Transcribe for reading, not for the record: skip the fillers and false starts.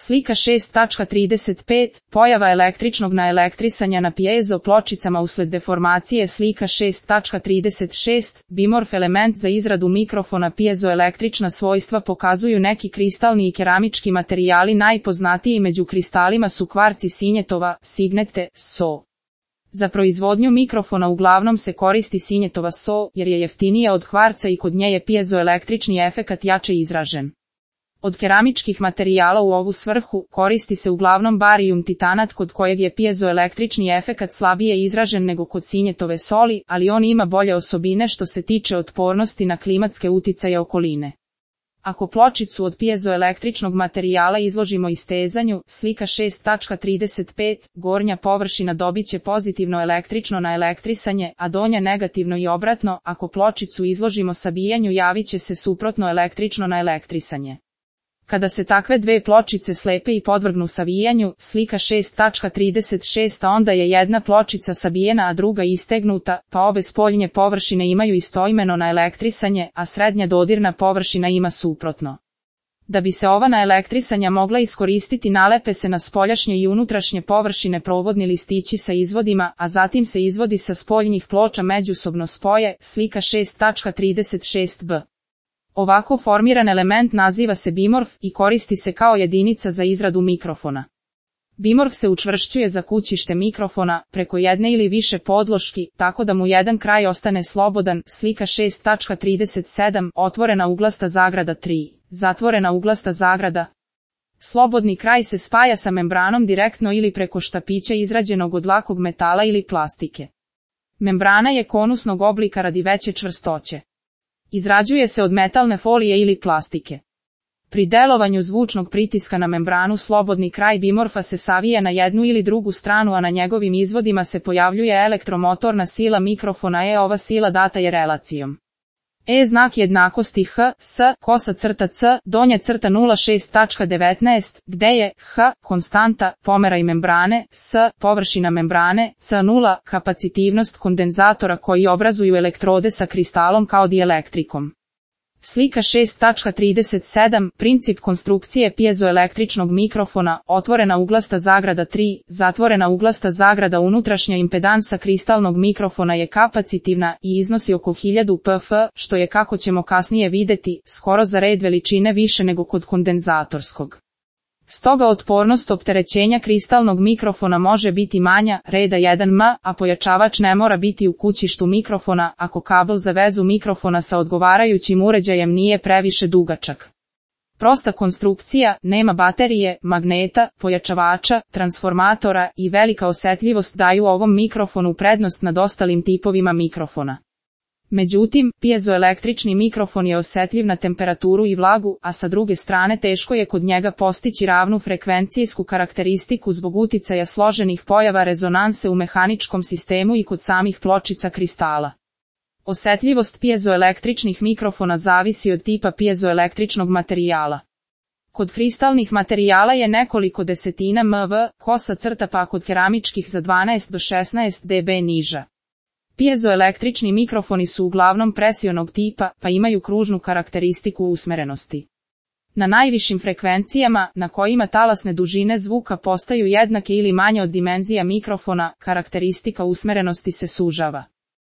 Slika 6.35, pojava električnog naelektrisanja na piezo pločicama usled deformacije. Slika 6.36, bimorf element za izradu mikrofona. Piezoelektrična svojstva pokazuju neki kristalni i keramički materijali. Najpoznatiji među kristalima su kvarci sinjetova, signete, so. Za proizvodnju mikrofona uglavnom se koristi sinjetova so, jer je jeftinija od kvarca i kod nje je piezoelektrični efekat jače izražen. Od keramičkih materijala u ovu svrhu koristi se uglavnom barijum titanat, kod kojeg je piezoelektrični efekat slabije izražen nego kod sinjetove soli, ali on ima bolje osobine što se tiče otpornosti na klimatske uticaje okoline. Ako pločicu od piezoelektričnog materijala izložimo istezanju, slika 6.35, gornja površina dobiće pozitivno električno naelektrisanje, a donja negativno i obratno. Ako pločicu izložimo sabijanju, javit će se suprotno električno naelektrisanje. Kada se takve dve pločice slepe i podvrgnu savijanju, slika 6.36, onda je jedna pločica sabijena a druga istegnuta, pa obe spoljnje površine imaju istoimeno naelektrisanje, a srednja dodirna površina ima suprotno. Da bi se ova naelektrisanja mogla iskoristiti, nalepe se na spoljašnje i unutrašnje površine provodni listići sa izvodima, a zatim se izvodi sa spoljnih ploča međusobno spoje. Slika 6.36b. Ovako formiran element naziva se bimorf i koristi se kao jedinica za izradu mikrofona. Bimorf se učvršćuje za kućište mikrofona preko jedne ili više podloški, tako da mu jedan kraj ostane slobodan. Slika 6.37, otvorena uglasta zagrada 3, zatvorena uglasta zagrada. Slobodni kraj se spaja sa membranom direktno ili preko štapića izrađenog od lakog metala ili plastike. Membrana je konusnog oblika radi veće čvrstoće. Izrađuje se od metalne folije ili plastike. Pri delovanju zvučnog pritiska na membranu slobodni kraj bimorfa se savija na jednu ili drugu stranu, a na njegovim izvodima se pojavljuje elektromotorna sila mikrofona. Ova sila data je relacijom znak jednakosti H, S, kosa crta C, donja crta 0,6.19, gde je H, konstanta, pomeraj membrane, S, površina membrane, C0, kapacitivnost kondenzatora koji obrazuju elektrode sa kristalom kao dielektrikom. Slika 6.37, princip konstrukcije piezoelektričnog mikrofona, otvorena uglasta zagrada 3, zatvorena uglasta zagrada. Unutrašnja impedansa kristalnog mikrofona je kapacitivna i iznosi oko 1000 pf, što je, kako ćemo kasnije vidjeti, skoro za red veličine više nego kod kondenzatorskog. Stoga otpornost opterećenja kristalnog mikrofona može biti manja, reda 1 m, a pojačavač ne mora biti u kućištu mikrofona ako kabel za vezu mikrofona sa odgovarajućim uređajem nije previše dugačak. Prosta konstrukcija, nema baterije, magneta, pojačavača, transformatora i velika osetljivost daju ovom mikrofonu prednost nad ostalim tipovima mikrofona. Međutim, piezoelektrični mikrofon je osetljiv na temperaturu i vlagu, a sa druge strane teško je kod njega postići ravnu frekvencijsku karakteristiku zbog uticaja složenih pojava rezonanse u mehaničkom sistemu i kod samih pločica kristala. Osetljivost piezoelektričnih mikrofona zavisi od tipa piezoelektričnog materijala. Kod kristalnih materijala je nekoliko desetina mV, kosa crta, pa kod keramičkih za 12 do 16 dB niža. Piezoelektrični mikrofoni su uglavnom presionog tipa, pa imaju kružnu karakteristiku usmerenosti. Na najvišim frekvencijama, na kojima talasne dužine zvuka postaju jednake ili manje od dimenzija mikrofona, karakteristika usmerenosti se sužava.